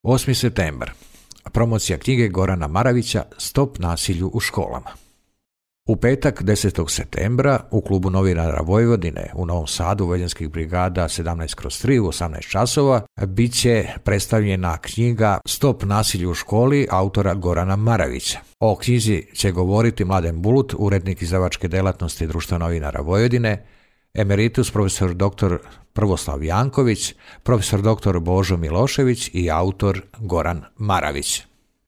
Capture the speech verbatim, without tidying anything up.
osmi septembar. Promocija knjige Gorana Maravića Stop nasilju u školama. U petak desetog septembra u klubu novinara Vojvodine u Novom Sadu Vojvođanskih brigada sedamnaest kroz tri u osamnaest časova bit će predstavljena knjiga Stop nasilju u školi autora Gorana Maravića. O knjizi će govoriti Mladen Bulut, urednik izdavačke delatnosti Društva novinara Vojvodine, emeritus profesor doktor Prvoslav Janković, profesor doktor Božo Milošević i autor Goran Maravić.